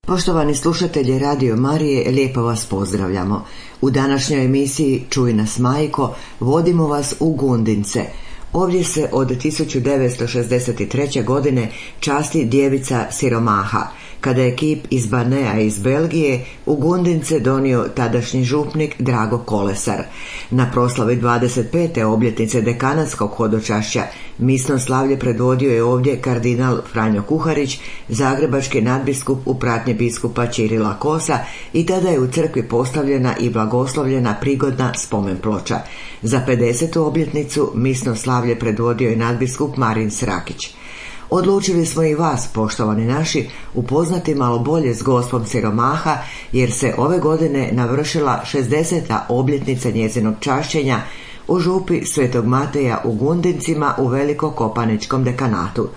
Poštovani slušatelji Radio Marije, lijepo vas pozdravljamo. U današnjoj emisiji Čuj nas majko, vodimo vas u Gundince. Ovdje se od 1963. godine časti djevica siromaha, kada je kip iz Banea iz Belgije u Gundince donio tadašnji župnik Drago Kolesar. Na proslavi 25. obljetnice dekanatskog hodočašća misno slavlje predvodio je ovdje kardinal Franjo Kuharić, zagrebački nadbiskup u pratnji biskupa Ćirila Kosa, i tada je u crkvi postavljena i blagoslovljena prigodna spomen ploča. Za 50. obljetnicu misno slavlje predvodio je nadbiskup Marin Srakić. Odlučili smo i vas, poštovani naši, upoznati malo bolje s gospom siromaha, jer se ove godine navršila 60. obljetnica njezinog čašćenja u župi Svetog Mateja u Gundincima u Velikokopaničkom dekanatu.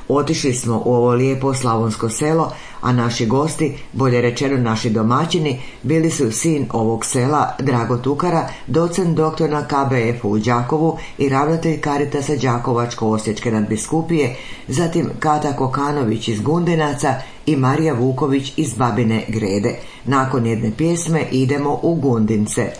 Otišli smo u ovo lijepo slavonsko selo, a naši gosti, bolje rečeno naši domaćini, bili su sin ovog sela Drago Tukara, docent doktor na KBF-u u Đakovu i ravnatelj Karitasa Đakovačko-osječke nadbiskupije, zatim Kata Kokanović iz Gundinaca i Marija Vuković iz Babine Grede. Nakon jedne pjesme idemo u Gundince.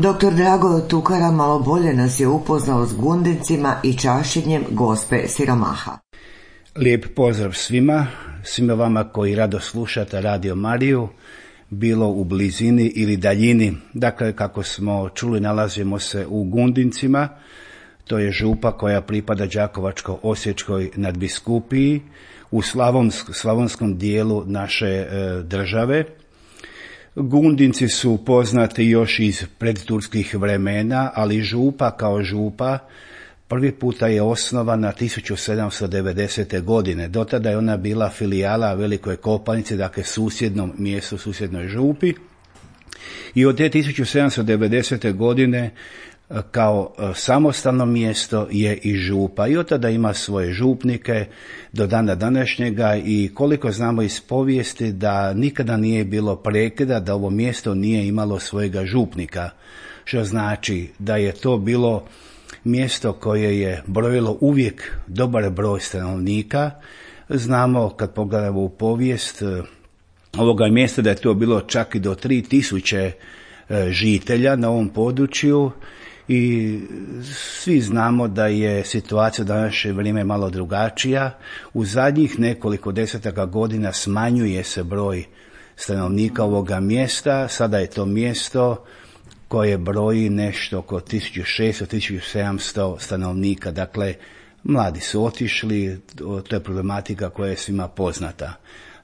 Dr. Drago Tukara malo bolje nas je upoznao s Gundincima i čašćenjem gospe siromaha. Lijep pozdrav svima vama koji rado slušate Radio Mariju, bilo u blizini ili daljini. Dakle, kako smo čuli, nalazimo se u Gundincima, to je župa koja pripada Đakovačko-osječkoj nadbiskupiji u slavonskom dijelu naše države. Gundinci su poznati još iz predturskih vremena, ali župa kao župa prvi puta je osnovana 1790. godine. Do tada je ona bila filijala Velikoj Kopanici, dakle susjednom mjestu, susjednoj župi. I od te 1790. godine kao samostalno mjesto je i župa i od tada ima svoje župnike do dana današnjega i koliko znamo iz povijesti da nikada nije bilo prekida da ovo mjesto nije imalo svojega župnika, što znači da je to bilo mjesto koje je brojilo uvijek dobar broj stanovnika. Znamo kad pogledamo u povijest ovoga mjesta da je to bilo čak i do 3000 žitelja na ovom području i svi znamo da je situacija u današnje vrijeme malo drugačija. U zadnjih nekoliko desetaka godina smanjuje se broj stanovnika ovoga mjesta. Sada je to mjesto koje broji nešto oko 1600-1700 stanovnika. Dakle, mladi su otišli, to je problematika koja je svima poznata.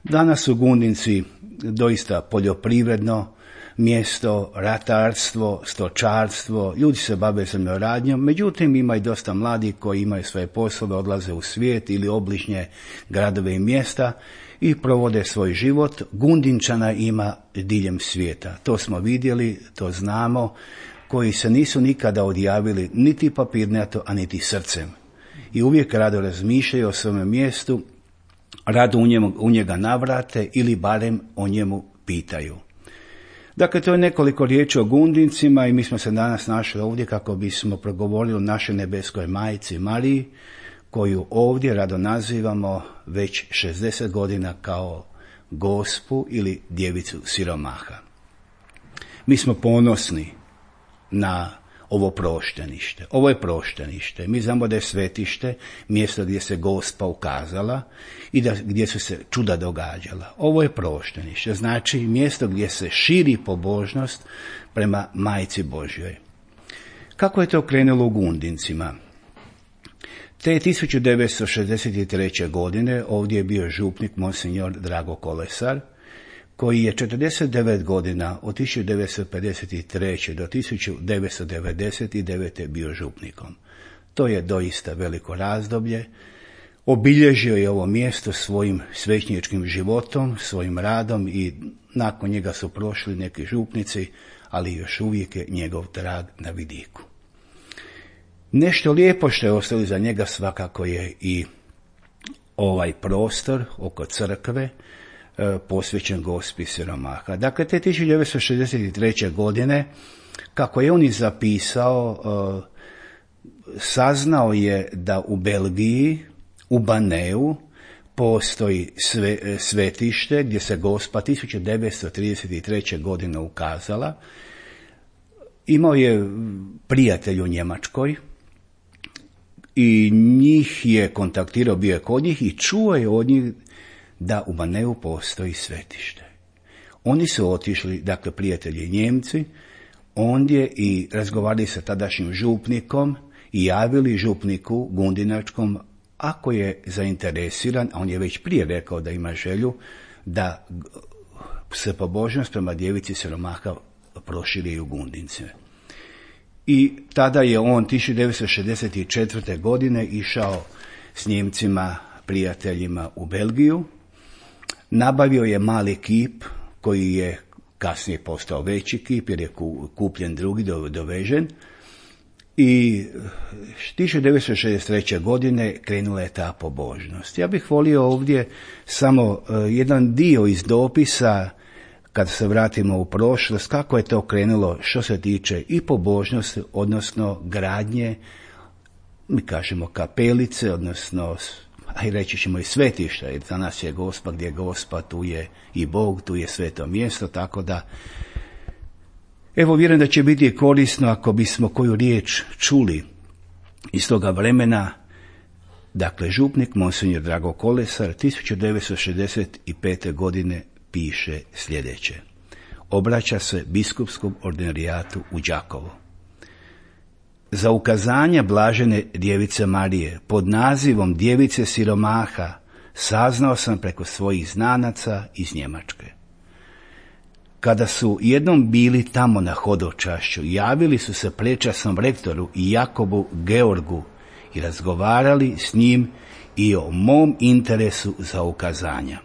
Danas su Gundinci doista poljoprivredno mjesto, ratarstvo, stočarstvo, ljudi se bave zemljoradnjom, međutim ima i dosta mladih koji imaju svoje poslove, odlaze u svijet ili obližnje gradove i mjesta i provode svoj život. Gundinčana ima diljem svijeta. To smo vidjeli, to znamo, koji se nisu nikada odjavili niti papirnato, a niti srcem. I uvijek rado razmišljaju o svome mjestu, rado u njega navrate ili barem o njemu pitaju. Dakle, to je nekoliko riječi o Gundincima i mi smo se danas našli ovdje kako bismo progovorili o našoj nebeskoj majci Mariji, koju ovdje rado nazivamo već 60 godina kao Gospu ili Djevicu siromaha. Mi smo ponosni na ovo proštenište. Ovo je proštenište. Mi znamo da je svetište, mjesto gdje se Gospa ukazala i gdje su se čuda događala. Ovo je proštenište, znači mjesto gdje se širi pobožnost prema Majci Božjoj. Kako je to krenulo u Gundincima? Te 1963. godine ovdje je bio župnik monsinjor Drago Kolesar, koji je 49 godina od 1953. do 1999. bio župnikom. To je doista veliko razdoblje. Obilježio je ovo mjesto svojim svećničkim životom, svojim radom i nakon njega su prošli neki župnici, ali još uvijek je njegov trag na vidiku. Nešto lijepo što je ostalo za njega svakako je i ovaj prostor oko crkve, posvećen Gospi siromaha. Dakle, te 1963. godine, kako je on i zapisao, saznao je da u Belgiji, u Baneu, postoji svetište gdje se Gospa 1933. godine ukazala. Imao je prijatelj u Njemačkoj i njih je kontaktirao, bio je kod njih i čuo je od njih da u Baneu postoji svetište. Oni su otišli, dakle prijatelji Njemci, ondje i razgovarali sa tadašnjim župnikom i javili župniku Gundinačkom ako je zainteresiran, a on je već prije rekao da ima želju, da se pobožnost prema Djevici siromaha proširi u Gundince. I tada je on 1964. godine išao s Njemcima, prijateljima u Belgiju. Nabavio je mali kip koji je kasnije postao veći kip jer je kupljen drugi, dovežen. I 1963. godine krenula je ta pobožnost. Ja bih volio ovdje samo jedan dio iz dopisa, kad se vratimo u prošlost, kako je to krenulo što se tiče i pobožnosti, odnosno gradnje, mi kažemo kapelice, odnosno a i reći ćemo i svetišta, jer za nas je Gospa, gdje je Gospa, tu je i Bog, tu je sveto mjesto, tako da evo vjerujem da će biti korisno ako bismo koju riječ čuli iz toga vremena. Dakle, župnik monsinjor Drago Kolesar 1965. godine piše sljedeće. Obraća se biskupskom ordinarijatu u Đakovo. Za ukazanje blažene Djevice Marije pod nazivom Djevice siromaha saznao sam preko svojih znanaca iz Njemačke. Kada su jednom bili tamo na hodočašću, javili su se prečasnom rektoru i Jakobu Georgu i razgovarali s njim i o mom interesu za ukazanja.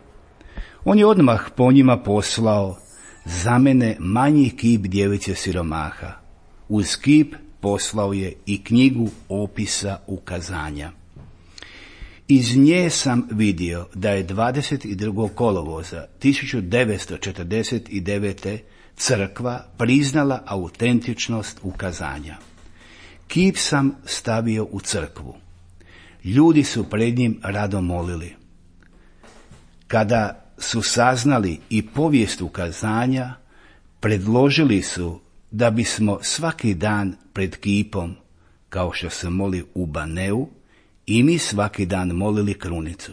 On je odmah po njima poslao za mene manji kip Djevice siromaha, uz kip poslao je i knjigu opisa ukazanja. Iz nje sam vidio da je 22. kolovoza 1949. crkva priznala autentičnost ukazanja. Kip sam stavio u crkvu. Ljudi su pred njim rado molili. Kada su saznali i povijest ukazanja, predložili su da bismo svaki dan pred kipom, kao što se moli u Baneu, i mi svaki dan molili krunicu.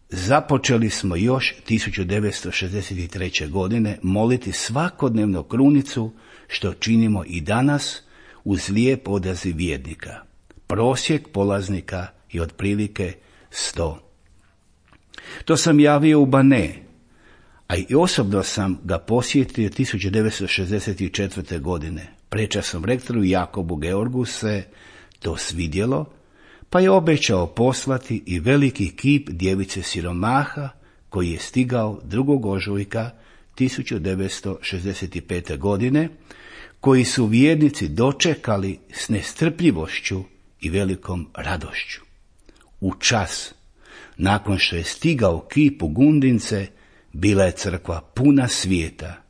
Započeli smo još 1963. godine moliti svakodnevno krunicu, što činimo i danas uz lijep odaziv vjernika. Prosjek polaznika je otprilike 100. To sam javio u Bane, a i osobno sam ga posjetio 1964. godine. Prečasnom rektoru Jakobu Georgu se to svidjelo, pa je obećao poslati i veliki kip djevice siromaha koji je stigao 2. ožujka 1965. godine, koji su vjernici dočekali s nestrpljivošću i velikom radošću. U čas, nakon što je stigao kip u Gundince, bila je crkva puna svijeta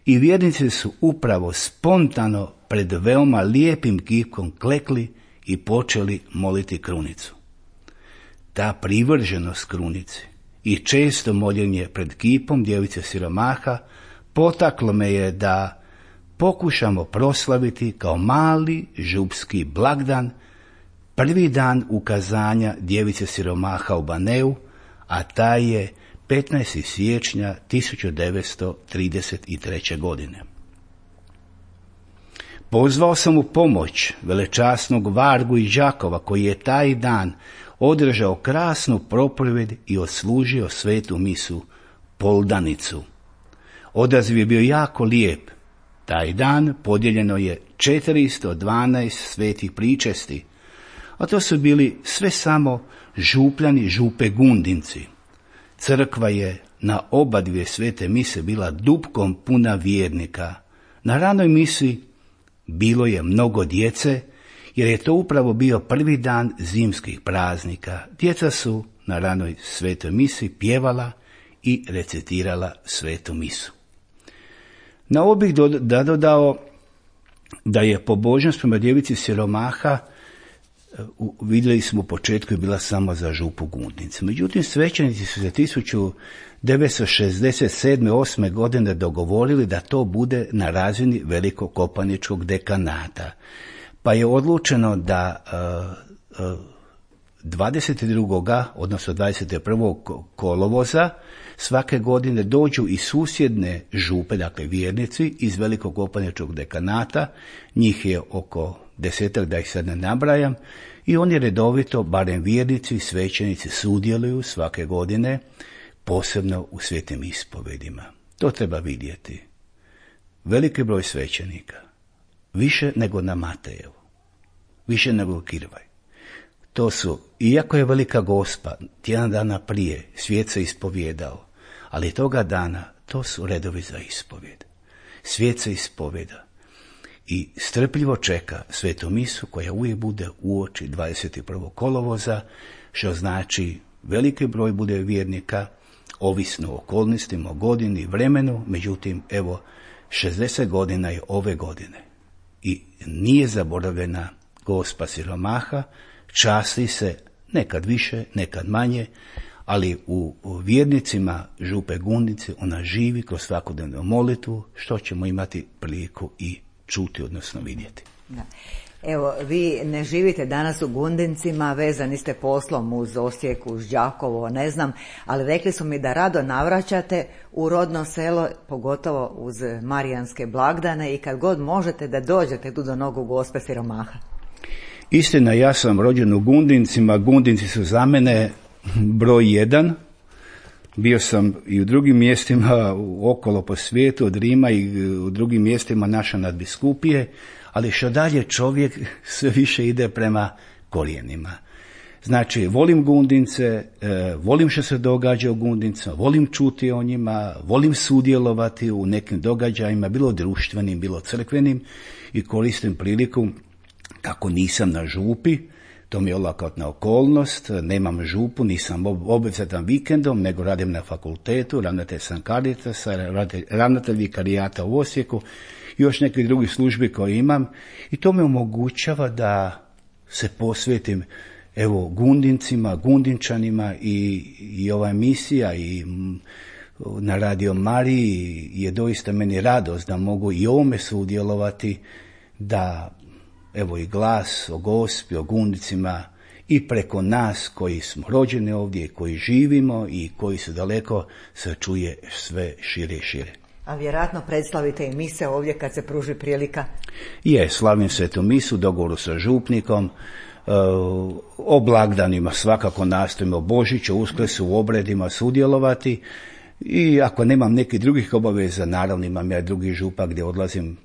i vjernici su upravo spontano pred veoma lijepim kipom klekli i počeli moliti krunicu. Ta privrženost krunici i često moljenje pred kipom djevice siromaha potaklo me je da pokušamo proslaviti kao mali župski blagdan prvi dan ukazanja djevice siromaha u Baneu, a taj je 15. siječnja 1933. godine. Pozvao sam u pomoć velečasnog Vargu iz Đakova, koji je taj dan održao krasnu propovjed i odslužio svetu misu Poldanicu. Odaziv je bio jako lijep. Taj dan podijeljeno je 412 svetih pričesti, a to su bili sve samo župljani župe Gundinci. Crkva je na oba dvije svete mise bila dupkom puna vjernika. Na ranoj misi bilo je mnogo djece, jer je to upravo bio prvi dan zimskih praznika. Djeca su na ranoj svetoj misi pjevala i recitirala svetu misu. Na ovo bih dodao da je pobožnost prema djevici siromaha, vidjeli smo u početku, je bila samo za župu Gundince. Međutim, svećenici su se 1967-8. godine dogovorili da to bude na razini Velikog kopaničkog dekanata. Pa je odlučeno da 22. odnosno 21. kolovoza svake godine dođu i susjedne župe, dakle vjernici iz Velikog kopaničkog dekanata, njih je oko 10, da ih sad ne nabrajam, i oni redovito, barem vjernici i svećenici, sudjeluju svake godine, posebno u svetim ispovedima. To treba vidjeti. Veliki broj svećenika, više nego na Matejevu, više nego Kirvaj. To su, iako je Velika Gospa tjedan dana prije svijet se ispovjedao, ali toga dana to su redovi za ispovjed. Svijet se ispovjeda i strpljivo čeka svetu misu koja uvijek bude uoči 21. kolovoza, što znači veliki broj bude vjernika, ovisno o okolnostima, o godini, vremenu, međutim, evo, 60 godina je ove godine i nije zaboravljena Gospa siromaha, časti se nekad više, nekad manje, ali u vjernicima župe Gundince ona živi kroz svakodnevnu molitvu, što ćemo imati priliku i čuti, odnosno vidjeti. Da. Evo, vi ne živite danas u Gundincima, vezani ste poslom uz Osijek, uz Đakovo, ne znam, ali rekli su mi da rado navraćate u rodno selo, pogotovo uz marijanske blagdane i kad god možete da dođete tu do nogu Gospe siromaha. Istina, ja sam rođen u Gundincima, Gundinci su za mene broj 1. Bio sam i u drugim mjestima okolo po svijetu, od Rima i u drugim mjestima naše nadbiskupije, ali što dalje čovjek sve više ide prema korijenima. Znači, volim Gundince, volim što se događa u Gundincima, volim čuti o njima, volim sudjelovati u nekim događajima, bilo društvenim, bilo crkvenim, i koristim priliku, kako nisam na župi, to mi je olakotna okolnost, nemam župu, nisam obvezatan vikendom, nego radim na fakultetu, ravnatelj sam Caritasa, ravnatelj vikarijata u Osijeku i još nekih drugih službi koje imam, i to me omogućava da se posvetim evo Gundincima, Gundinčanima, i ova emisija i na Radio Mariji je doista meni radost da mogu i ovome sudjelovati, da evo i glas o Gospi, o Gundicima i preko nas koji smo rođeni ovdje, koji živimo i koji su daleko, se čuje sve šire i šire. A vjerojatno predstavite i mise ovdje kad se pruži prilika? Slavim svetu misu, dogovoru sa župnikom, o blagdanima svakako nastojimo, Božiću, Uskrsu, u obredima sudjelovati, i ako nemam nekih drugih obaveza, naravno imam ja drugi župa gdje odlazim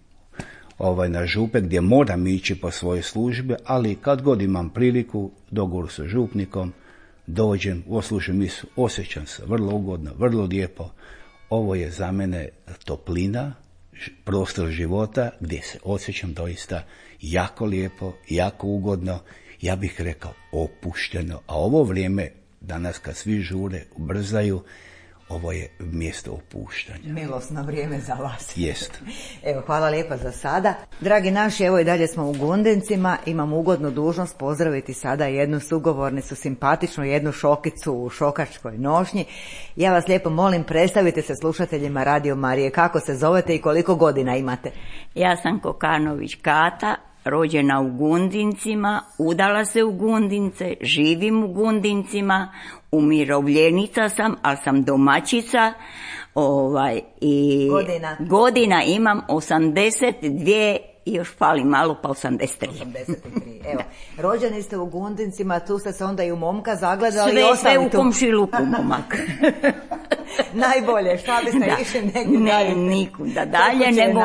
na župe, gdje moram ići po svoje službe, ali kad god imam priliku, dogovoru sa župnikom, dođem, oslušam misu, osjećam se vrlo ugodno, vrlo lijepo. Ovo je za mene toplina, prostor života gdje se osjećam doista jako lijepo, jako ugodno, ja bih rekao opušteno. A ovo vrijeme danas kad svi žure, ubrzaju, ovo je mjesto opuštanja. Milosno vrijeme za vas. Jest. Evo, hvala lijepa za sada. Dragi naši, evo i dalje smo u Gundincima. Imam ugodnu dužnost pozdraviti sada jednu sugovornicu, simpatičnu, jednu šokicu u šokačkoj nošnji. Ja vas lijepo molim, predstavite se slušateljima Radio Marije. Kako se zovete i koliko godina imate? Ja sam Kokanović Kata, rođena u Gundincima, udala se u Gundince, živim u Gundincima, umirovljenica sam, ali sam domaćica, i godina imam 82 i još fali malo, pa 83. 83, evo. Rođeni ste u Gundincima, tu ste se onda i u momka zagledali. Sve u komšiluku, momak. Najbolje, šta biste išli negdje dalje? Nikuda dalje, nego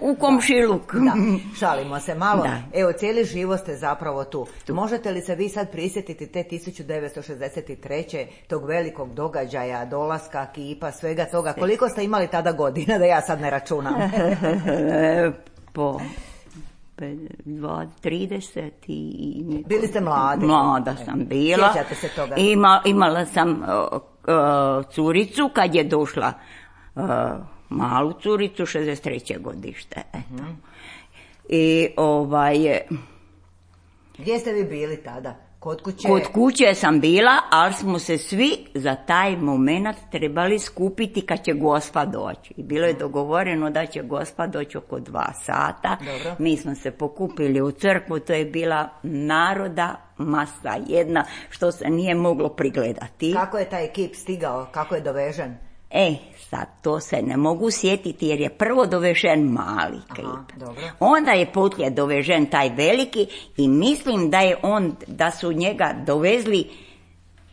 u komšiluk. Da, šalimo se malo. Da. Evo, cijeli život ste zapravo tu. Možete li se vi sad prisjetiti te 1963. tog velikog događaja, dolaska, kipa, svega toga? Koliko ste imali tada godina, da ja sad ne računam? Po 30 i... Bili ste mladi? Mlada sam bila. Sjećate se toga? Imala sam curicu kad je došla, malu curicu, 63. godište. Eto. I Gdje ste vi bili tada? Kod kuće? Kod kuće sam bila, ali smo se svi za taj moment trebali skupiti kad će Gospa doći. I bilo je dogovoreno da će Gospa doći oko 2 sata. Dobro. Mi smo se pokupili u crkvu, to je bila naroda masa jedna, što se nije moglo prigledati. Kako je taj ekip stigao? Kako je dovežen? Sad to se ne mogu sjetiti jer je prvo dovežen mali kip. Dobro. Onda je poslije dovežen taj veliki i mislim da su njega dovezli,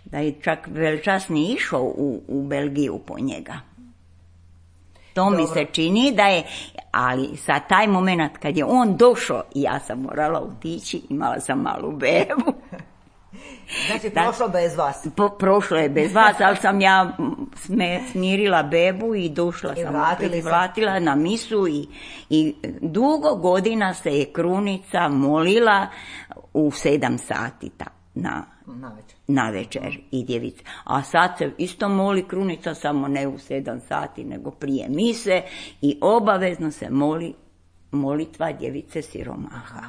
da je čak veličasni išao u Belgiju po njega. To mi se čini da je, ali sa taj moment kad je on došao i ja sam morala otići, imala sam malu bebu. Znači, prošlo bez vas? Prošlo je bez vas, ali sam ja smirila bebu i došla sam opet, vratila na misu i dugo godina se je krunica molila u 7 sati na večer i djevica. A sad se isto moli krunica, samo ne u 7 sati, nego prije mise i obavezno se moli molitva djevice siromaha.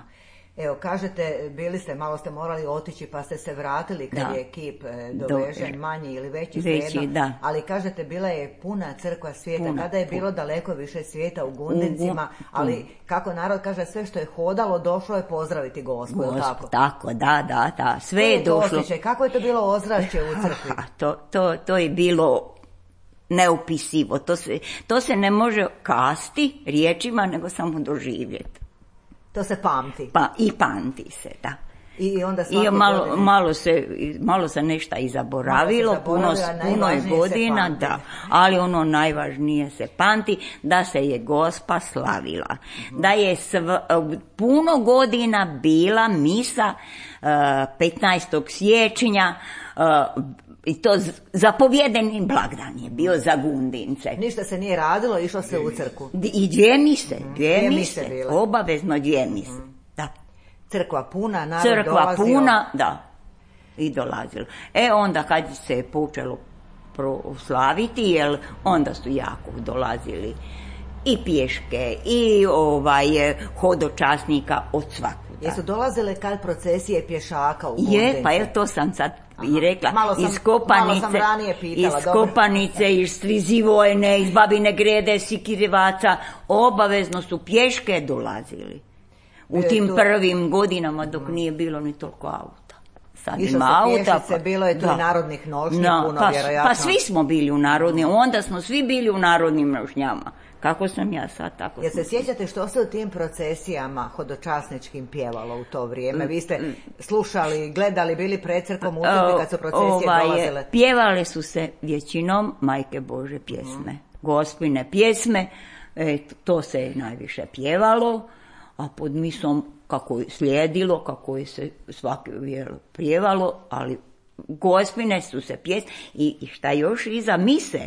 Evo, kažete, bili ste, malo ste morali otići pa ste se vratili kad je kip dovežen, manji ili veći, svejedno. Ali kažete, bila je puna crkva svijeta, kada je bilo daleko više svijeta u Gundincima, ali kako narod kaže, sve što je hodalo došlo je pozdraviti Gospu, je li tako? Tako, da, sve je došlo. Kako je to bilo ozračje u crkvi? To je bilo neopisivo, to se ne može kasti riječima, nego samo doživjeti. To se pamti. I pamti se, da. I onda malo se nešto i zaboravilo, puno je godina, da, ali ono najvažnije se pamti, da se je Gospa slavila, da je puno godina bila misa 15. siječnja, i to zapovjedeni blagdan je bio za Gundince. Ništa se nije radilo, išlo se u crkvu. I dvije mise, obavezno 2 mise. Da. Crkva puna, narod dolazio. Da, i dolazilo. Onda kad se je počelo proslaviti, jer onda su jako dolazili i pješke, i hodočasnika od svakuda. Jesu dolazile kad procesije pješaka u Gundince? Pa to sam sad i rekla. Malo sam ranije pitala. Iz Kopanice, iz Strizivojne, iz Babine Grede, Sikirevaca, obavezno su pješke dolazili. U tim prvim godinama dok nije bilo ni toliko auta. Sad ima auta. Bilo je tu i narodnih nošnji puno, vjerojatno. Pa svi smo bili u narodnim, onda smo svi bili u narodnim nošnjama. Kako sam ja sad, tako. Jel se sjećate što se u tim procesijama hodočasničkim pjevalo u to vrijeme? Vi ste slušali, gledali, bili pred crkvom u kad su procesije dolazile? Pjevale su se većinom Majke Bože pjesme, Gospine pjesme, to se je najviše pjevalo, a pod misom kako je slijedilo, kako je se svaki vjero pjevalo, ali Gospine su se pjesme i šta još iza mise,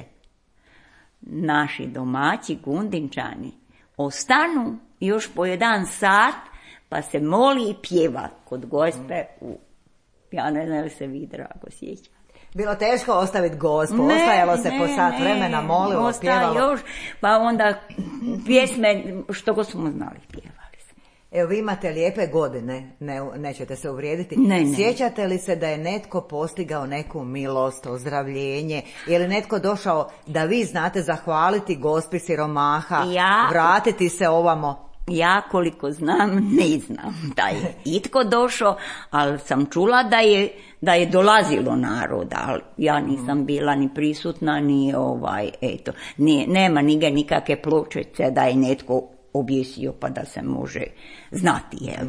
naši domaći Gundinčani ostanu još po 1 sat pa se moli i pjeva kod Gospe ja ne znam li se vi drago sjećate. Bilo teško ostaviti Gospu, ostajalo se po sat vremena, molilo, pjevalo. Još, pa onda pjesme što god smo znali pjevali. Evo, vi imate lijepe godine, nećete se uvrijediti. Sjećate li se da je netko postigao neku milost, ozdravljenje? Je li netko došao da vi znate zahvaliti Gospi siromaha, vratiti se ovamo? Ja koliko znam, ne znam da je itko došao, ali sam čula da je dolazilo naroda, ali ja nisam bila ni prisutna, ni nema nikakve pločice da je netko objesio pa da se može znati. Jel?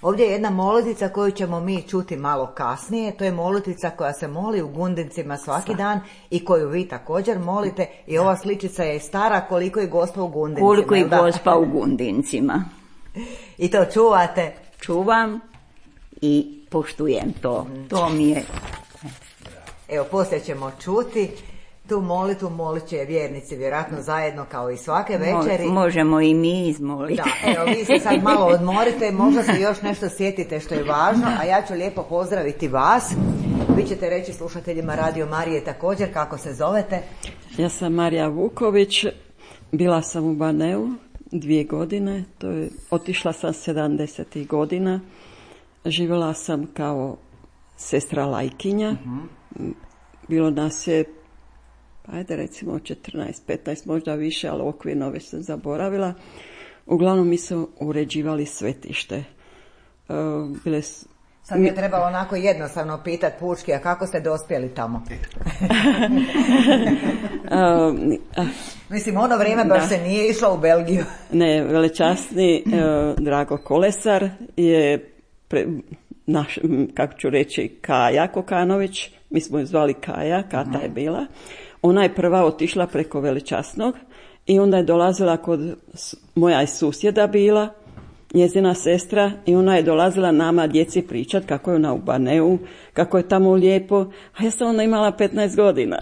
Ovdje je jedna molitica koju ćemo mi čuti malo kasnije. To je molitica koja se moli u Gundincima svaki dan i koju vi također molite. I ova sličica je stara koliko je Gospa u Gundincima. Koliko je Gospa u Gundincima. I to čuvate? Čuvam i poštujem to. To mi je... Evo, poslije ćemo čuti. Tu molitvu molit će vjernici vjerojatno zajedno kao i svake večeri. Možemo i mi izmoliti. Da, evo, vi se sad malo odmorite, možda se još nešto sjetite što je važno, a ja ću lijepo pozdraviti vas. Vi ćete reći slušateljima Radio Marije također kako se zovete. Ja sam Marija Vuković, bila sam u Baneu 2 godine, otišla sam 70. godina, živjela sam kao sestra lajkinja, bilo nas je ajde recimo 14, 15, možda više, ali okvirno već sam zaboravila. Uglavnom mi smo uređivali svetište. Sad mi je trebalo onako jednostavno pitati pučki, a kako ste dospjeli tamo? Mislim, ono vrijeme baš se nije išlo u Belgiju. Ne, velečasni Drago Kolesar je naš, kako ću reći, Kaja Kokanović, mi smo ju zvali Kaja, Kata je bila. Ona je prva otišla preko velečasnog i onda je dolazila kod moja je susjeda bila, njezina sestra, i ona je dolazila nama djeci pričat kako je ona u Baneu, kako je tamo lijepo, a ja sam onda imala 15 godina.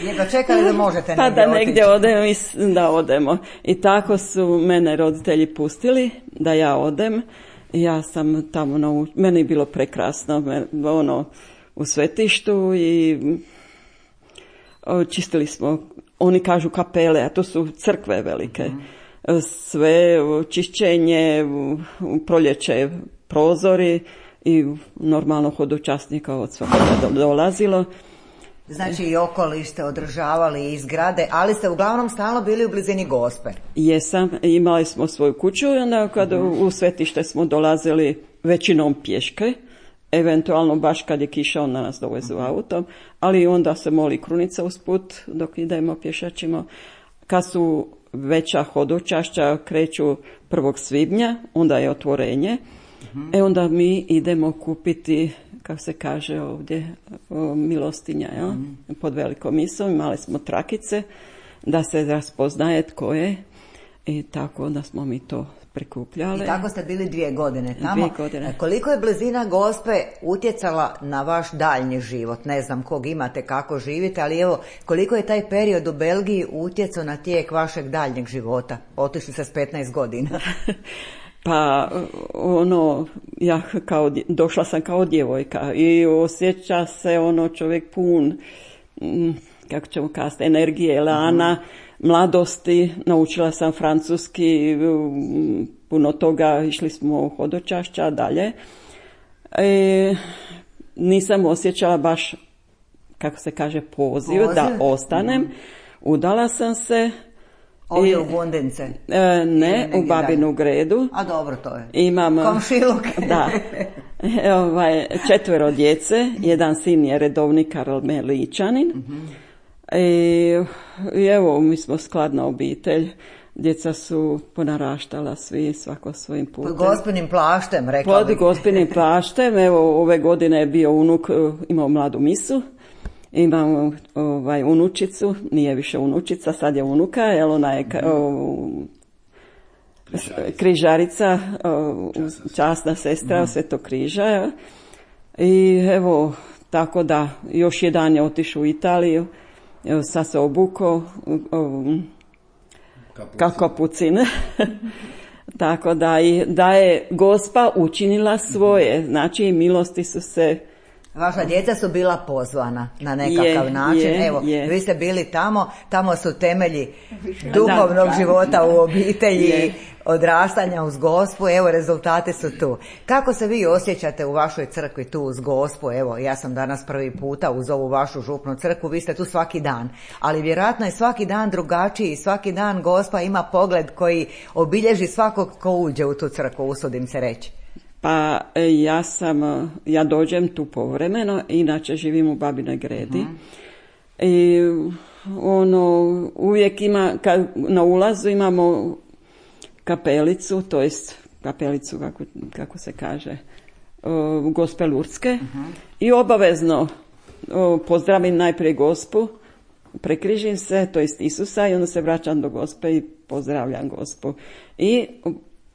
Jedno čekali da možete pa da negdje odemo i da odemo. I tako su mene roditelji pustili da ja odem. Ja sam tamo, meni je bilo prekrasno, u svetištu i čistili smo, oni kažu kapele, a to su crkve velike. Sve čišćenje, proljeće prozori i normalno hodočasnika od svakoga dolazilo. Znači i okoliš ste održavali i zgrade, ali ste uglavnom stalno bili u blizini Gospe. Jesam, imali smo svoju kuću i onda kad u svetište smo dolazili većinom pješke, eventualno baš kad je kiša onda nas dovezu autom, ali onda se moli krunica usput dok idemo pješačimo. Kad su veća hodočašća kreću 1. svibnja, onda je otvorenje Onda mi idemo kupiti, kako se kaže ovdje, milostinja, pod velikom misom. Imali smo trakice da se raspoznaje tko je i tako da smo mi to prikupljali. I tako ste bili 2 godine tamo. 2 godine. Koliko je blizina Gospe utjecala na vaš daljnji život? Ne znam kog imate, kako živite, ali evo, koliko je taj period u Belgiji utjecao na tijek vašeg daljnjeg života? Otišli ste s 15 godina. Pa ja došla sam kao djevojka i osjeća se čovjek pun, kako ćemo kazati, energije, elana, mladosti. Naučila sam francuski, puno toga, išli smo u hodočašća dalje. Nisam osjećala baš, kako se kaže, poziv da ostanem. Udala sam se. Ovdje u Gundince? Ne, u Babinu Gredu. A dobro, to je. Imam komšiluk. Da. 4 djece, jedan sin je redovni Karmeličanin. I evo, mi smo skladna obitelj. Djeca su ponaraštala svi, svako svojim putem. Pod Gospinim plaštem, rekla bih. Pod Gospinim plaštem. Evo, ove godine je bio unuk, imao mladu misu. Imam unučicu, nije više unučica, sad je unuka, jer ona je križarica, časna sestra Svetog križa. I evo, tako da, još jedan je otišao u Italiju, evo, sad se obukao kao kapucin. Tako da je Gospa učinila svoje, znači milosti su se... Vaša djeca su bila pozvana na nekakav način. Evo, vi ste bili tamo su temelji duhovnog života u obitelji, odrastanja uz Gospu. Evo, rezultati su tu. Kako se vi osjećate u vašoj crkvi tu uz Gospu? Evo, ja sam danas prvi puta uz ovu vašu župnu crkvu, vi ste tu svaki dan. Ali vjerojatno je svaki dan drugačiji, svaki dan Gospa ima pogled koji obilježi svakog ko uđe u tu crkvu, usudim se reći. Pa ja dođem tu povremeno, inače živim u Babinoj Gredi. I uvijek na ulazu imamo kapelicu, to jest kapelicu, kako se kaže, Gospe Lurdske. I obavezno pozdravim najprije Gospu, prekrižim se, to jest Isusa, i onda se vraćam do Gospe i pozdravljam Gospu. I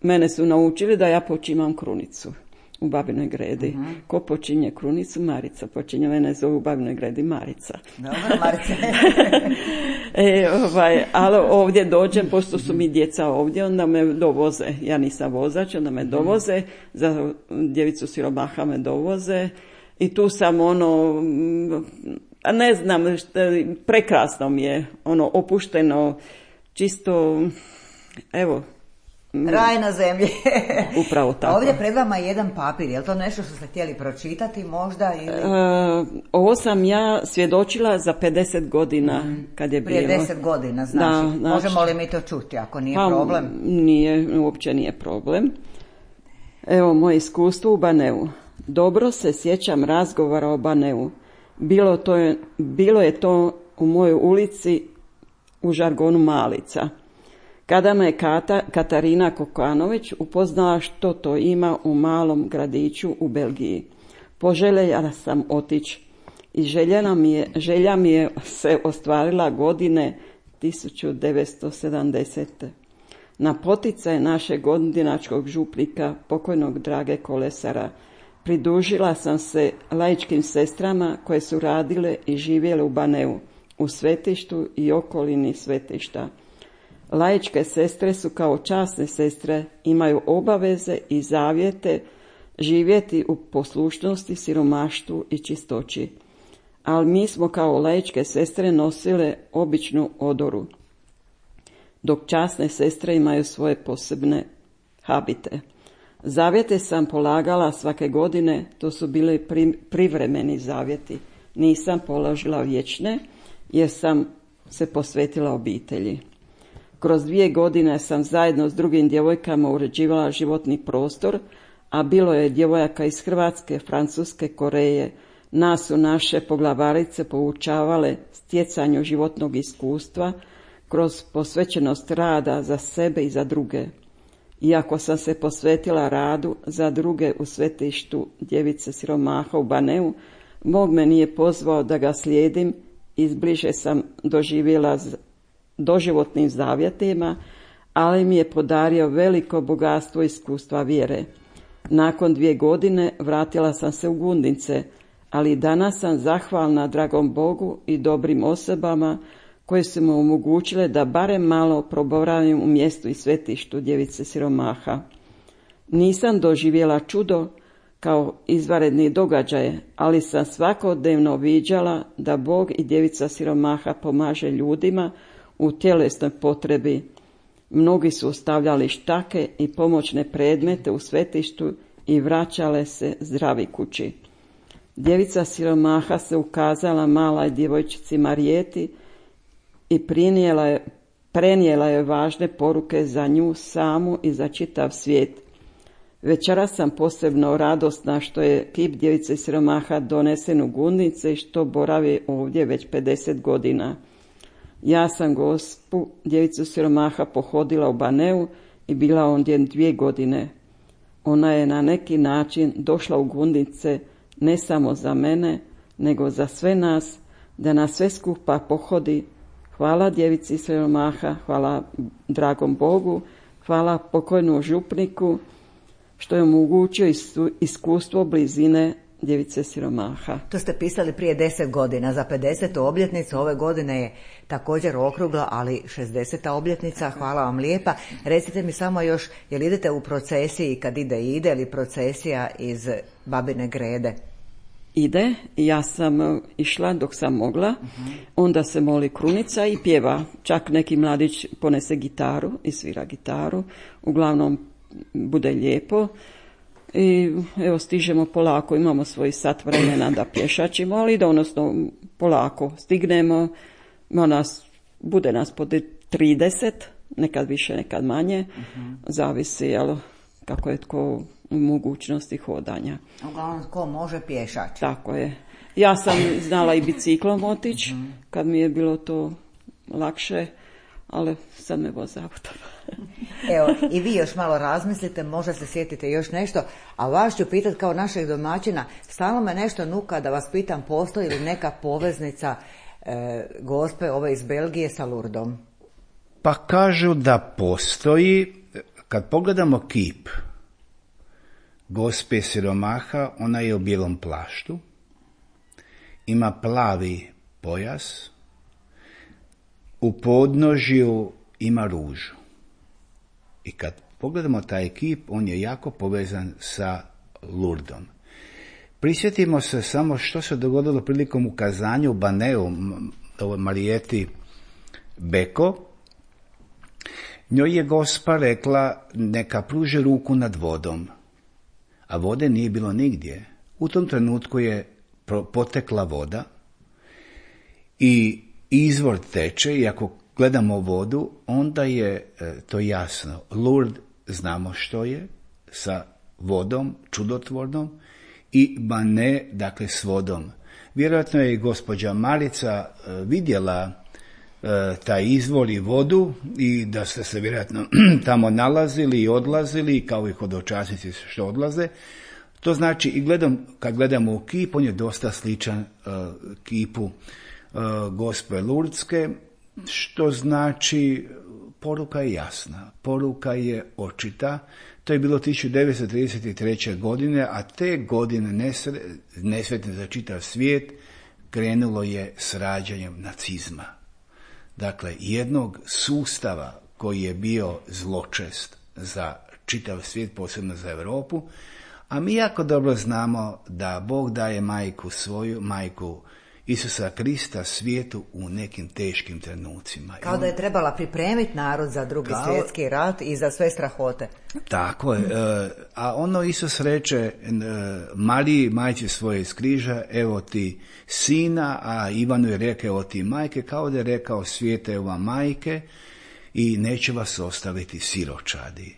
mene su naučili da ja počimam krunicu u Babinoj Gredi. Ko počinje krunicu? Marica. Počinje, mene zovu u Babinoj Gredi Marica. Dobro, Marica. Ali ovdje dođem, pošto su mi djeca ovdje, onda me dovoze. Ja nisam vozač, onda me dovoze. Za djevicu siromaha me dovoze. I tu sam ne znam, prekrasno mi je, opušteno, čisto, evo, raj na zemlji. Upravo tako. Ovdje pred vama je jedan papir. Je li to nešto što ste htjeli pročitati možda? Ili... Ovo sam ja svjedočila za 50 godina kad je bilo. Prije 10 godina, znači. Možemo li mi to čuti ako nije problem? Nije, uopće nije problem. Evo moje iskustvo u Baneu. Dobro se sjećam razgovora o Baneu. Bilo je to u mojoj ulici u žargonu Malica. Kada me Katarina Kokanović upoznala što to ima u malom gradiću u Belgiji. Poželjela sam otići i želja mi je se ostvarila godine 1970. Na poticaj našeg gondinačkog župnika, pokojnog Drage Kolesara, pridružila sam se laičkim sestrama koje su radile i živjele u Baneu, u svetištu i okolini svetišta. Laičke sestre su kao časne sestre, imaju obaveze i zavjete živjeti u poslušnosti, siromaštvu i čistoći. Ali mi smo kao laičke sestre nosile običnu odoru, dok časne sestre imaju svoje posebne habite. Zavjete sam polagala svake godine, to su bili privremeni zavjeti. Nisam položila vječne, jer sam se posvetila obitelji. Kroz 2 godine sam zajedno s drugim djevojkama uređivala životni prostor, a bilo je djevojaka iz Hrvatske, Francuske, Koreje. Nas su naše poglavarice poučavale stjecanju životnog iskustva kroz posvećenost rada za sebe i za druge. Iako sam se posvetila radu za druge u svetištu Djevice siromaha u Baneu, Bog me nije pozvao da ga slijedim, izbliže sam doživjela doživotnim zavjetima, ali mi je podario veliko bogatstvo iskustva vjere. Nakon 2 godine vratila sam se u Gundince, ali danas sam zahvalna dragom Bogu i dobrim osobama koje su mu omogućile da barem malo proboravim u mjestu i svetištu Djevice siromaha. Nisam doživjela čudo kao izvanredni događaje, ali sam svakodnevno viđala da Bog i Djevica siromaha pomaže ljudima u tjelesnoj potrebi. Mnogi su ostavljali štake i pomoćne predmete u svetištu i vraćale se zdravi kući. Djevica siromaha se ukazala maloj djevojčici Marijeti i prenijela je važne poruke za nju samu i za čitav svijet. Večeras sam posebno radosna što je kip Djevice siromaha donesen u Gundince i što boravi ovdje već 50 godina. Ja sam Gospu Djevicu siromaha pohodila u Baneu i bila ondje 2 godine. Ona je na neki način došla u Gundince ne samo za mene, nego za sve nas, da nas sve skupa pohodi. Hvala Djevici siromaha, hvala dragom Bogu, hvala pokojnom župniku što je omogućio iskustvo blizine Djevice siromaha. To ste pisali prije 10 godina. Za 50. obljetnicu ove godine je također okrugla, ali 60. obljetnica. Hvala vam lijepa. Recite mi samo još, jel idete u procesiji kad ide li procesija iz Babine Grede? Ide, ja sam išla dok sam mogla, onda se moli krunica i pjeva. Čak neki mladić ponese gitaru i svira gitaru. Uglavnom bude lijepo. I evo stižemo polako, imamo svoj sat vremena da pješačimo, ali odnosno polako stignemo, bude nas po 30, nekad više, nekad manje, zavisi kako je tko u mogućnosti hodanja. Uglavnom tko može pješač. Tako je. Ja sam znala i biciklom otići, kad mi je bilo to lakše, ali sad me voze autom. Evo, i vi još malo razmislite, možda se sjetite još nešto, a vas ću pitati kao našeg domaćina, stalno me nešto nuka da vas pitam, postoji li neka poveznica Gospe ove iz Belgije sa Lurdom? Pa kažu da postoji. Kad pogledamo kip Gospe siromaha, ona je u bijelom plaštu, ima plavi pojas, u podnožju ima ružu. I kad pogledamo taj kip, on je jako povezan sa Lurdom. Prisjetimo se samo što se dogodilo prilikom ukazanja u Baneu Marijeti Beko. Njoj je Gospa rekla neka pruži ruku nad vodom, a vode nije bilo nigdje. U tom trenutku je potekla voda i izvor teče i ako gledamo vodu, onda je to jasno. Lourdes znamo što je, sa vodom, čudotvornom, i Bane, dakle s vodom. Vjerojatno je i gospođa Marica vidjela taj izvor i vodu i da ste se vjerojatno tamo nalazili i odlazili, kao i hodočasnici što odlaze. To znači, i kad gledamo u kip, on je dosta sličan kipu Gospe Lurdske, što znači poruka je jasna, poruka je očita. To je bilo 1933. godine, a te godine nesretne za čitav svijet krenulo je s rađanjem nacizma. Dakle, jednog sustava koji je bio zločest za čitav svijet, posebno za Europu, a mi jako dobro znamo da Bog daje majku svoju, majku Isusa Krista svijetu u nekim teškim trenucima. Kao da je trebala pripremiti narod za Drugi svjetski rat i za sve strahote. Tako je. A ono Isus reče Mariji, majci svoje iz križa, evo ti sina, a Ivanu je rekao, evo ti majke, kao da je rekao svijete, evo vam majke i neće vas ostaviti siročadi.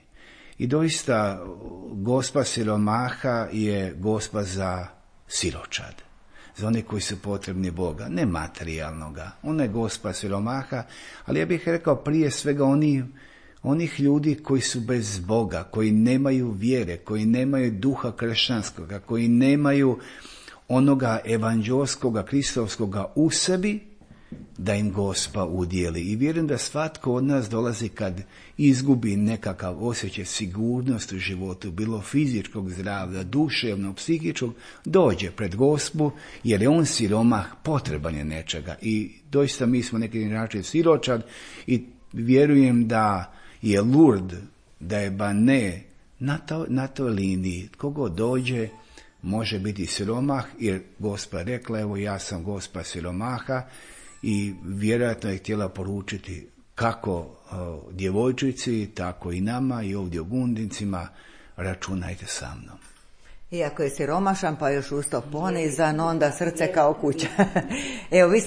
I doista Gospa siromaha je Gospa za siročad, za one koji su potrebni Boga, ne materijalnoga. Ona je Gospa siromaha, ali ja bih rekao prije svega onih ljudi koji su bez Boga, koji nemaju vjere, koji nemaju duha kršćanskoga, koji nemaju onoga evanđelskoga, kristovskoga u sebi, da im Gospa udijeli. I vjerujem da svatko od nas dolazi kad izgubi nekakav osjećaj sigurnosti u životu, bilo fizičkog zdravlja, duševnog, psihičkog, dođe pred Gospu, jer je on siromah, potreban je nečega. I doista mi smo neki način siročad i vjerujem da je Lourdes, da je Bane na toj liniji. Kogo dođe, može biti siromah, jer Gospa rekla, evo ja sam Gospa siromaha, i vjerojatno je htjela poručiti kako djevojčici, tako i nama i ovdje u Gundincima, računajte sa mnom. Iako je siromašan, pa još usto ponizan, onda srce kao kuća. Evo, vi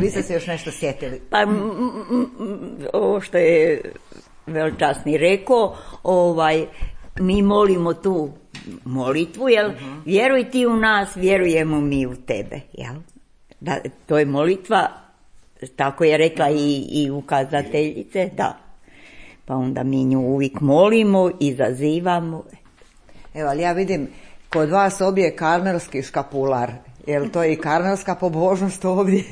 ste se još nešto sjetili. Pa, ovo što je veličasni rekao, mi molimo tu molitvu, jel? Vjeruj ti u nas, vjerujemo mi u tebe, jel? Da, to je molitva, tako je rekla i ukazateljice, da. Pa onda mi nju uvijek molimo, izazivamo. Evo, ali ja vidim kod vas obje karmelski škapular. Je li to i karmelska pobožnost ovdje?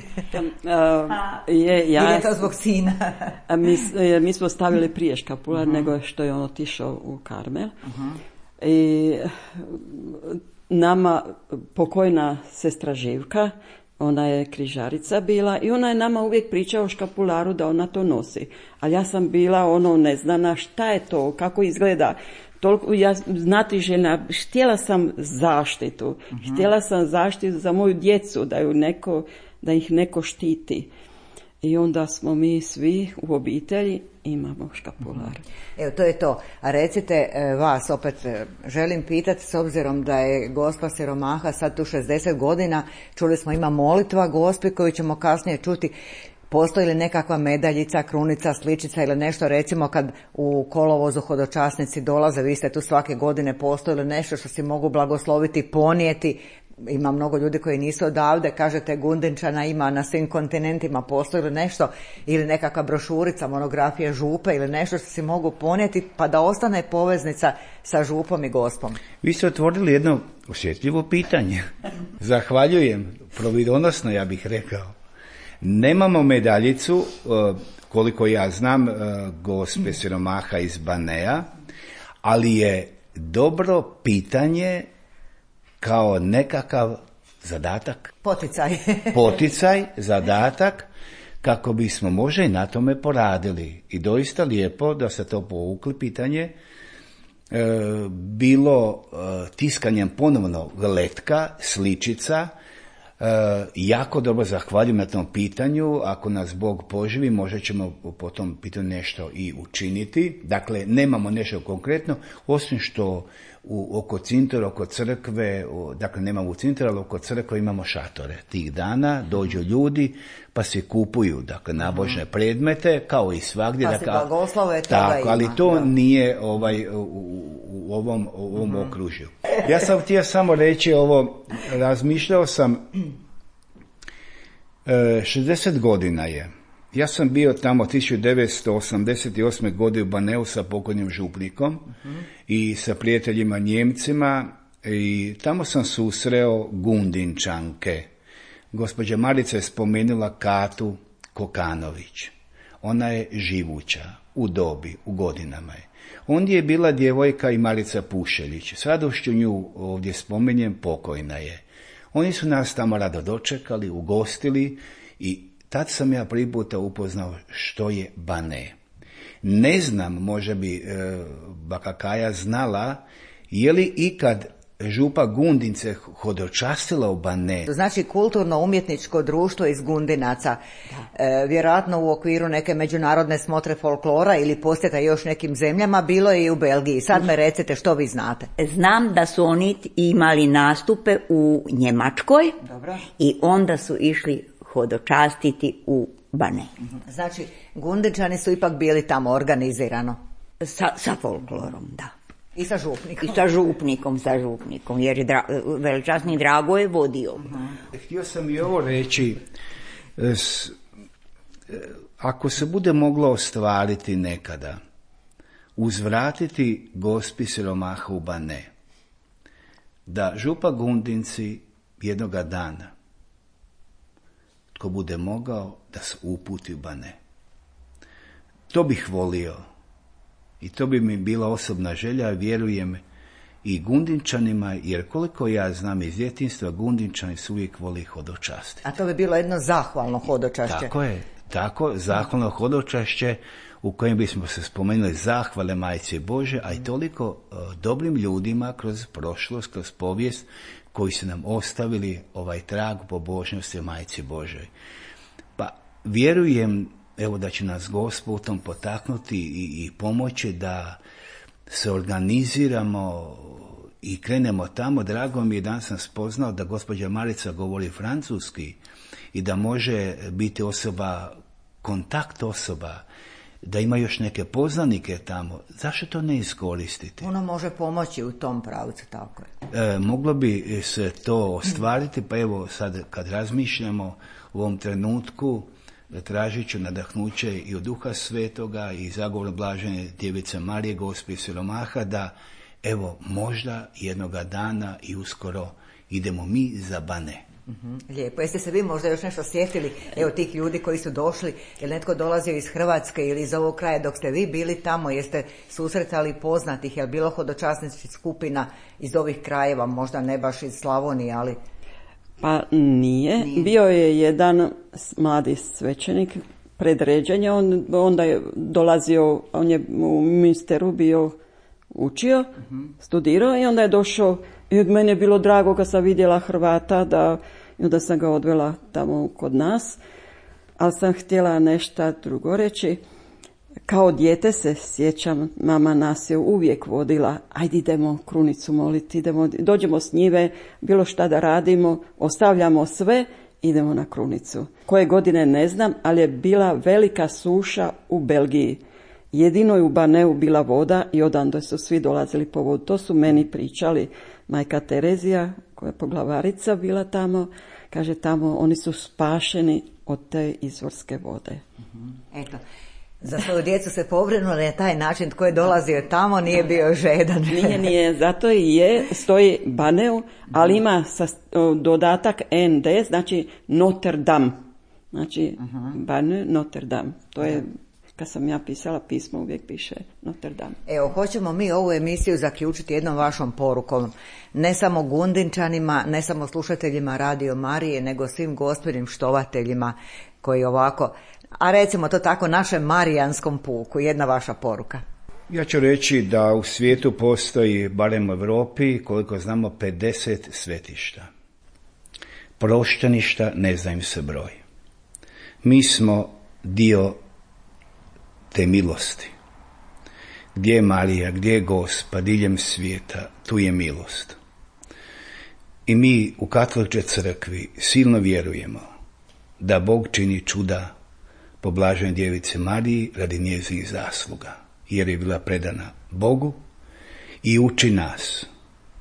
Ili je to zbog sina? Mi smo stavili prije škapular nego što je on otišao u Karmel. I nama pokojna sestra Živka, ona je križarica bila i ona je nama uvijek pričala o škapularu da ona to nosi. Ali ja sam bila neznana šta je to, kako izgleda. Toliko, ja znatiželjna, htjela sam zaštitu. Htjela sam zaštitu za moju djecu, da ih neko štiti. I onda smo mi svi u obitelji imamo škapular. Evo, to je to. A recite, vas opet želim pitati, s obzirom da je Gospa siromaha sad tu 60 godina, čuli smo ima molitva Gospi koju ćemo kasnije čuti. Postoji li nekakva medaljica, krunica, sličica ili nešto, recimo kad u kolovozu hodočasnici dolaze, vi ste tu svake godine, postoji li nešto što si mogu blagosloviti, ponijeti? Ima mnogo ljudi koji nisu odavde, kažete Gundinčana ima na svim kontinentima, postoji li nešto ili nekakva brošurica, monografija župe ili nešto što si mogu ponijeti pa da ostane poveznica sa župom i Gospom? Vi ste otvorili jedno osjetljivo pitanje. Zahvaljujem, providonosno ja bih rekao. Nemamo medaljicu, koliko ja znam, Gospe siromaha iz Banea, ali je dobro pitanje kao nekakav zadatak. Poticaj, zadatak, kako bismo možda i na tome poradili. I doista lijepo da se to povukli pitanje. Bilo tiskanjem ponovno letka, sličica. Jako dobro zahvaljujem na tom pitanju. Ako nas Bog poživi, možda ćemo po tom pitanju nešto i učiniti. Dakle, nemamo nešto konkretno, osim što oko cintora, oko crkve, dakle nemamo u cintora, ali oko crkve imamo šatore. Tih dana dođu ljudi pa se kupuju, dakle, nabožne predmete, kao i svagdje. Pa se blagoslove, tako, ali to nije u ovom okružju. Ja sam htio samo reći ovo, razmišljao sam, 60 godina je. Ja sam bio tamo 1988. godine u Baneu sa pokojnim župnikom i sa prijateljima Njemcima i tamo sam susreo Gundinčanke. Gospođa Marica je spomenula Katu Kokanović. Ona je živuća, u dobi, u godinama je. Ondje je bila djevojka i Marica Pušeljić. S radošću nju ovdje spomenjem, pokojna je. Oni su nas tamo rado dočekali, ugostili i tad sam ja prvi puta upoznao što je Bane. Ne znam, možda bi baka Kaja znala, je li ikad župa Gundince hodočastila u Bane. To znači kulturno-umjetničko društvo iz Gundinaca. Vjerojatno u okviru neke međunarodne smotre folklora ili posjeta još nekim zemljama, bilo je i u Belgiji. Sad me recite što vi znate. Znam da su oni imali nastupe u Njemačkoj. Dobro. I onda su išli hodočastiti u Bane. Znači, Gundinčani su ipak bili tamo organizirano. Sa folklorom, da. I sa župnikom. I sa župnikom, jer je veličasni Drago je vodio. Htio sam i ovo reći, ako se bude moglo ostvariti nekada, uzvratiti Gospi siromaha u Bane, da župa Gundinci jednoga dana, tko bude mogao, da se uputi u Bane. To bih volio i to bi mi bila osobna želja, vjerujem i Gundinčanima, jer koliko ja znam iz djetinjstva, Gundinčani su uvijek voli hodočasti. A to bi bilo jedno zahvalno hodočašće. Tako je, zahvalno hodočašće u kojem bismo se spomenuli zahvale Majci Bože, a i toliko dobrim ljudima kroz prošlost, kroz povijest, koji su nam ostavili ovaj trag pobožnosti Majci Božoj. Pa vjerujem, evo, da će nas Gospod u tom potaknuti i pomoći da se organiziramo i krenemo tamo. Drago mi je, dan sam spoznao da gospođa Marica govori francuski i da može biti osoba, kontakt osoba, da ima još neke poznanike tamo. Zašto to ne iskoristiti? Ono može pomoći u tom pravcu, tako je. Moglo bi se to ostvariti, pa evo sad kad razmišljamo u ovom trenutku, tražit ću nadahnuće i od Duha Svetoga i zagovor blažene Djevice Marije, Gospe siromaha, da evo možda jednoga dana i uskoro idemo mi za Bane. Lijepo. Jeste se vi možda još nešto sjetili, evo, tih ljudi koji su došli, je netko dolazio iz Hrvatske ili iz ovog kraja dok ste vi bili tamo, jeste susretali poznatih, je li bilo hodočasničkih skupina iz ovih krajeva, možda ne baš iz Slavonije, ali... Pa nije. Bio je jedan mladi svećenik pred ređenje, onda je dolazio, on je u Münsteru bio učio, studirao i onda je došao i od mene je bilo drago kad sam vidjela Hrvata, da sam ga odvela tamo kod nas, ali sam htjela nešto drugo reći. Kao dijete se sjećam, mama nas je uvijek vodila, ajde idemo krunicu moliti, dođemo s njive, bilo šta da radimo, ostavljamo sve, idemo na krunicu. Koje godine ne znam, ali je bila velika suša u Belgiji. Jedino je u Baneu bila voda i odande su svi dolazili po vodu. To su meni pričali majka Terezija, koja je poglavarica bila tamo, kaže tamo oni su spašeni od te izvorske vode. Eto. Za svoju djecu se pobrinula na taj način, tko je dolazio tamo nije bio žedan. Nije, zato i stoji Baneu, ali ima dodatak ND, znači Notre Dame. Znači Baneu, Notre Dame. To je, kad sam ja pisala pismo, uvijek piše Notre Dame. Evo, hoćemo mi ovu emisiju zaključiti jednom vašom porukom. Ne samo Gundinčanima, ne samo slušateljima Radio Marije, nego svim Gospinim štovateljima koji ovako... A recimo to tako, našem marijanskom puku, jedna vaša poruka. Ja ću reći da u svijetu postoji, barem u Europi, koliko znamo, 50 svetišta. Prošteništa, ne zna im se broj. Mi smo dio te milosti. Gdje je Marija, gdje je Gospa, diljem svijeta, tu je milost. I mi u Katoličkoj crkvi silno vjerujemo da Bog čini čuda po blaženoj Djevici Mariji radi njezinih zasluga, jer je bila predana Bogu i uči nas,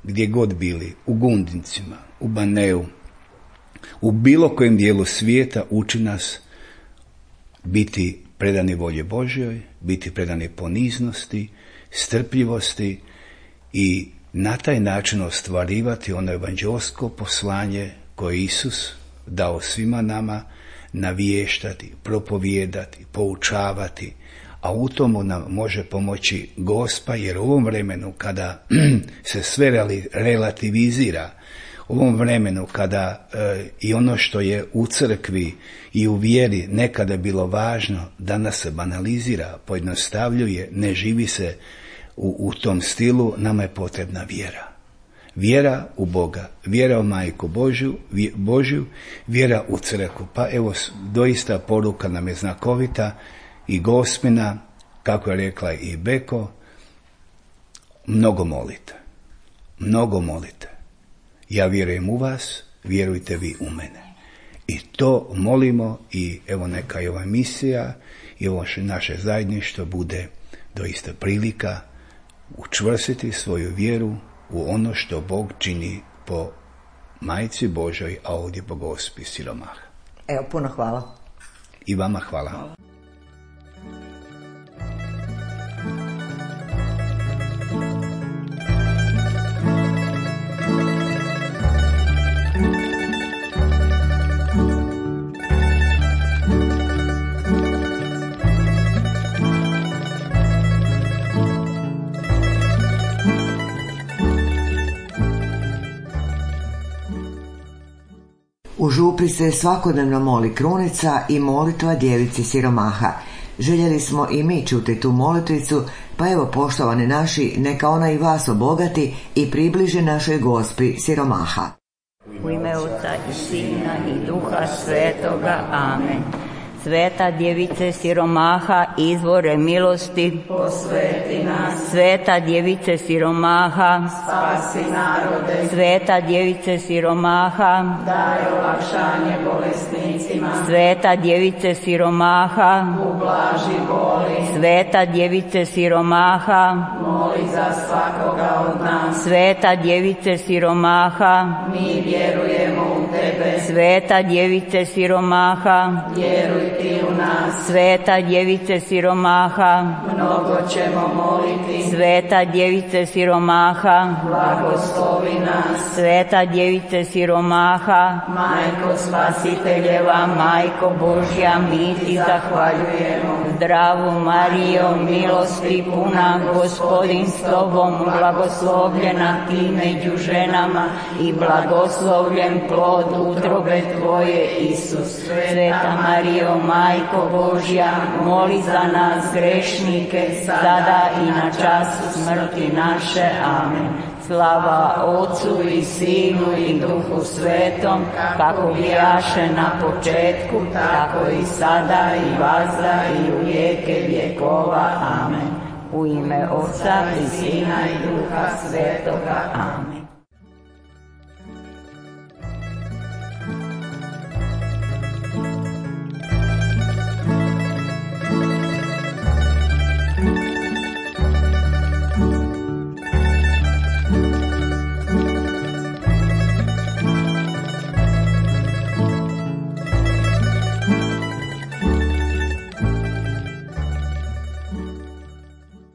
gdje god bili, u Gundincima, u Baneu, u bilo kojem dijelu svijeta, uči nas biti predani volji Božjoj, biti predani poniznosti, strpljivosti i na taj način ostvarivati ono evanđelsko poslanje koje je Isus dao svima nama, navještati, propovijedati, poučavati, a u tomu nam može pomoći Gospa, jer u ovom vremenu kada se sve relativizira, u ovom vremenu kada i ono što je u crkvi i u vjeri nekada bilo važno, danas se banalizira, pojednostavljuje, ne živi se u tom stilu, nama je potrebna vjera. Vjera u Boga, vjera u Majku Božju, vjera u crkvu. Pa evo, doista poruka nam je znakovita i Gospina, kako je rekla i Beko, mnogo molite. Mnogo molite. Ja vjerujem u vas, vjerujte vi u mene. I to molimo i evo neka je ova emisija i ovo naše zajedništvo bude doista prilika učvrstiti svoju vjeru u ono što Bog čini po Majci Božoj, a ovdje po Gospi siromaha. Evo, puno hvala. I vama hvala. U župi se svakodnevno moli krunica i molitva djevici siromaha. Željeli smo i mi čuti tu molitvicu, pa evo poštovani naši, neka ona i vas obogati i približi našoj Gospi siromaha. U ime Oca i Sina i Duha Svetoga. Amen. Sveta djevice siromaha, izvore milosti, posveti nas. Sveta djevice siromaha, spasi narode. Sveta djevice siromaha, daj olakšanje bolesnicima. Sveta djevice siromaha, ublaži boli. Sveta djevice siromaha, moli za svakoga od nas. Sveta djevice siromaha, mi vjerujemo u tebe. Sveta djevice siromaha, vjeruj ti u nas. Sveta djevice siromaha, mnogo ćemo moliti. Sveta djevice siromaha, blagoslovi nas. Sveta djevice siromaha, majko spasiteljeva, majko Božja, mi ti zahvaljujemo. Zdravu Marijo, milosti puna, Gospodin s tobom, blagoslovljena ti među ženama i blagoslovljen plod utrobe tvoje, Isus. Sveta Marijo, majko Božja, moli za nas grešnike, sada i na času smrti naše. Amen. Slava Otcu i Sinu i Duhu Svetom, kako bijaše na početku, tako i sada i vazda i u vijeke vjekova. Amen. U ime Otca i Sina i Duha Svetoga. Amen.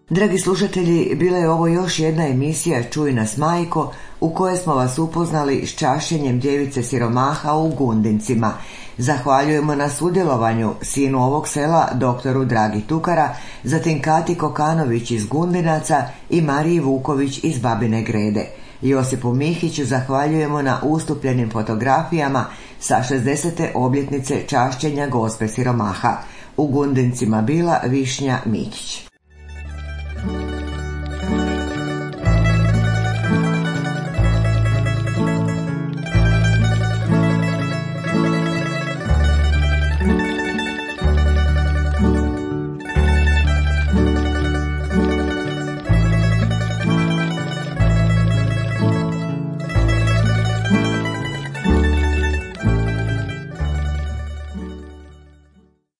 Dragi slušatelji, bila je ovo još jedna emisija Čuj nas majko, u kojoj smo vas upoznali s čašćenjem djevice siromaha u Gundincima. Zahvaljujemo na sudjelovanju sinu ovog sela, doktoru Dragi Tukara, zatim Kati Kokanović iz Gundinaca i Mariji Vuković iz Babine Grede. Josipu Mihiću zahvaljujemo na ustupljenim fotografijama sa 60. obljetnice čašćenja Gospe siromaha. U Gundincima bila Višnja Mikić.